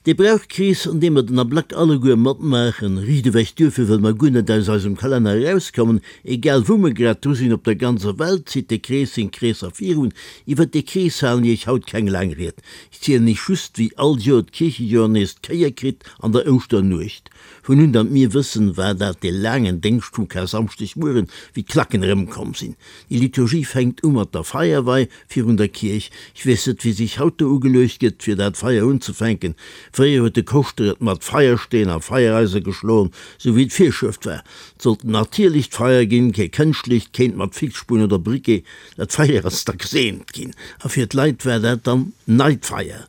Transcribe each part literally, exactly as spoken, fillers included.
Dee Brauchkrees, an deem mer den Ablack alleguer matmaachen, riicht ewech duerfir, wëll mer guer net aus eisem Kalenner erauskommen, egal wou mer grad dru sinn op der ganzer Welt zitt de Krees seng Kreesser virun. Iwwert dee Krees halen iech haut keng laang Ried. Ech zielen iech just, wéi all Joer d'Kierchejoer nees d'Kéier kritt an der Ouschternuecht. Vun un datt mir wëssen, war dat dee laangen Déngscht vum Karsamschdegmueren, wéi d'Klacken erëmkomm sinn. Déi Liturgie fänkt u mat der Feierwei virun der Kierch. Ech weess net, wéi sech haut do ugeluecht gëtt, fir dat Feier unzefänken. Fréier huet de Koschter et mat Feiersteen a Feiereise geschloen, sou wéi d'Virschrëft war. Et sollt en natierlecht Feier ginn, kee kënschtlecht, keent mat Fixspunn oder Briquet. Dat Feier ass da geseent ginn, a fir d'Leit war dat dann neit Feier.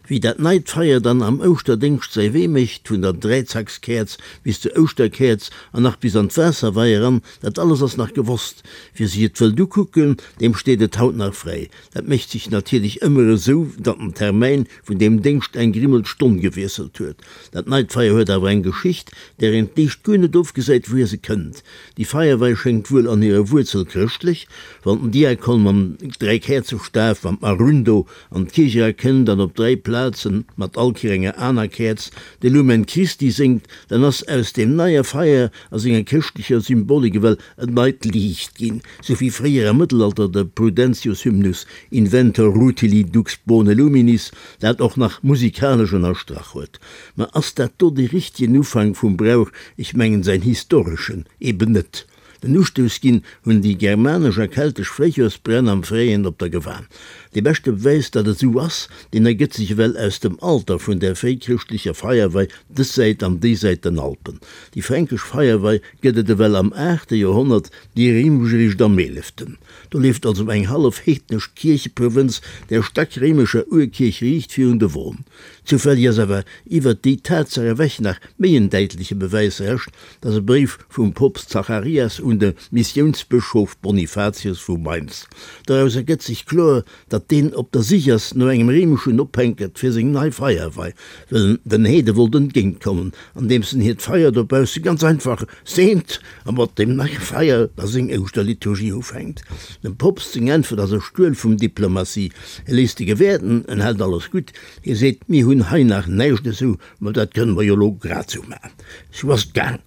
Wéi dat neit Feier dann am Ouschterdéngscht säi Wee mécht, vun der Dräizackskäerz bis zur Ouschterkäerz an nach bis an d'Waasserwei eran, dat alles ass nach gewosst. Wie sech et wëllt ukucken, deem steet et haut nach fräi. Dat mécht sech natierlech ëmmer esou, datt den Termäin vun deem Déngscht eng Grimmel d'Stonn gewiesselt huet. Dat neit Feier huet awer eng Geschicht, där een d'éischt guer net ofgesäit, wouhier se kënnt. Déi Feierwei schéngt wuel an hirer Wuerzel chrëschtlech, wann den Diakon mam Dräikäerzestaf, mam Arundo, an d'Kierch era kënnt an op dräi Plazen mat all Kéier enger aner Käerz de Lumen Christi séngt, dann ass aus deem neie Feier a senger chrëschtlecher Symbolik ewell en neit Liicht ginn, sou wéi fréier am Mëttelalter de Prudentius-Hymnus Inventor rutili dux bone luminis dat och nach musikalesch ënnerstrach huet. Ma ass dat do dee richtegen Ufank vum Brauch? Ech mengen säin historeschen eben net. Den Ustouss ginn hunn déi germanesch a keltesch Fréijoersbränn am Fréien op der Gewan. Dee beschte Bewäis, datt et esou ass, deen ergëtt sech ewell aus dem Alter vun där fréichrëschtlecher Feierwei dës Säit an déi Säit den Alpen. Déi fränkesch Feierwei gëtt et ewell am aachte Joerhonnert, déi réimesch eréischt am eeleften. Do leeft also eng hallef heednesch Kiercheprovënz der stackréimescher Urkierch riicht virun de Won. Zoufälleg ass awer iwwert déi Tatsaach ewech nach méi en däitleche Bewäis rescht, dat ass e Bréif vum Poopst Zacharias un de Missiounsbëschof Bonifatius vu Mainz. Doraus ergëtt sech kloer, datt deen op der Sich ass no engem réimeschen Ophänkert fir seng nei Feierwei, well en den Heede wollt entgéintkommen, andeems en hiert Feier dobausse ganz einfach seent a mat deem neie Feier da seng Ouschterliturgie ufänkt. Dem Poopst seng Äntwert ass e Stuel vum Diplomatie, Hie léisst de Gewäerten, en hält alles gutt, hie seet, Mir hunn hei nach näischt esou, mä dat kënne mer jo elo grad esou maachen. Sou ass et gaang.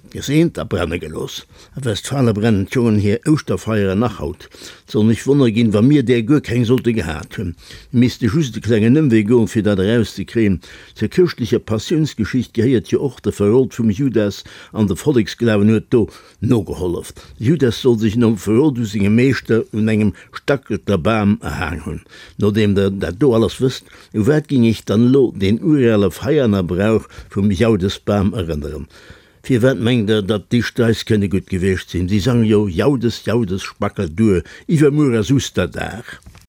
Geseent a brenne gelooss. A Westfale brennen d'Jongen hir Ouschterfeieren nach haut. Et soll mech wonner ginn, wa mir där guer keng sollte gehat hunn. Mir misste just e klengen Ëmwee goen, fir dat erauszekréien. Zur chrëschtlecher Passiounsgeschicht gehéiert jo och de Verrot vum Judas, an de Volleksglawen huet do nogehollef. De Judas soll sech nom Verrot u sengem Meeschter un engem Stackelterbam erhaang hunn. Nodeem der dat do alles wësst, u wat ging iech dann elo deen urale Veianer Brauch vum Jaudesbam erënneren? Firwat mengt der, datt déi Streis kënne gutt gewiescht sinn? Si sange jo, Jaudes, Jaudes, spackel duer, iwwermuer ass Usterdag.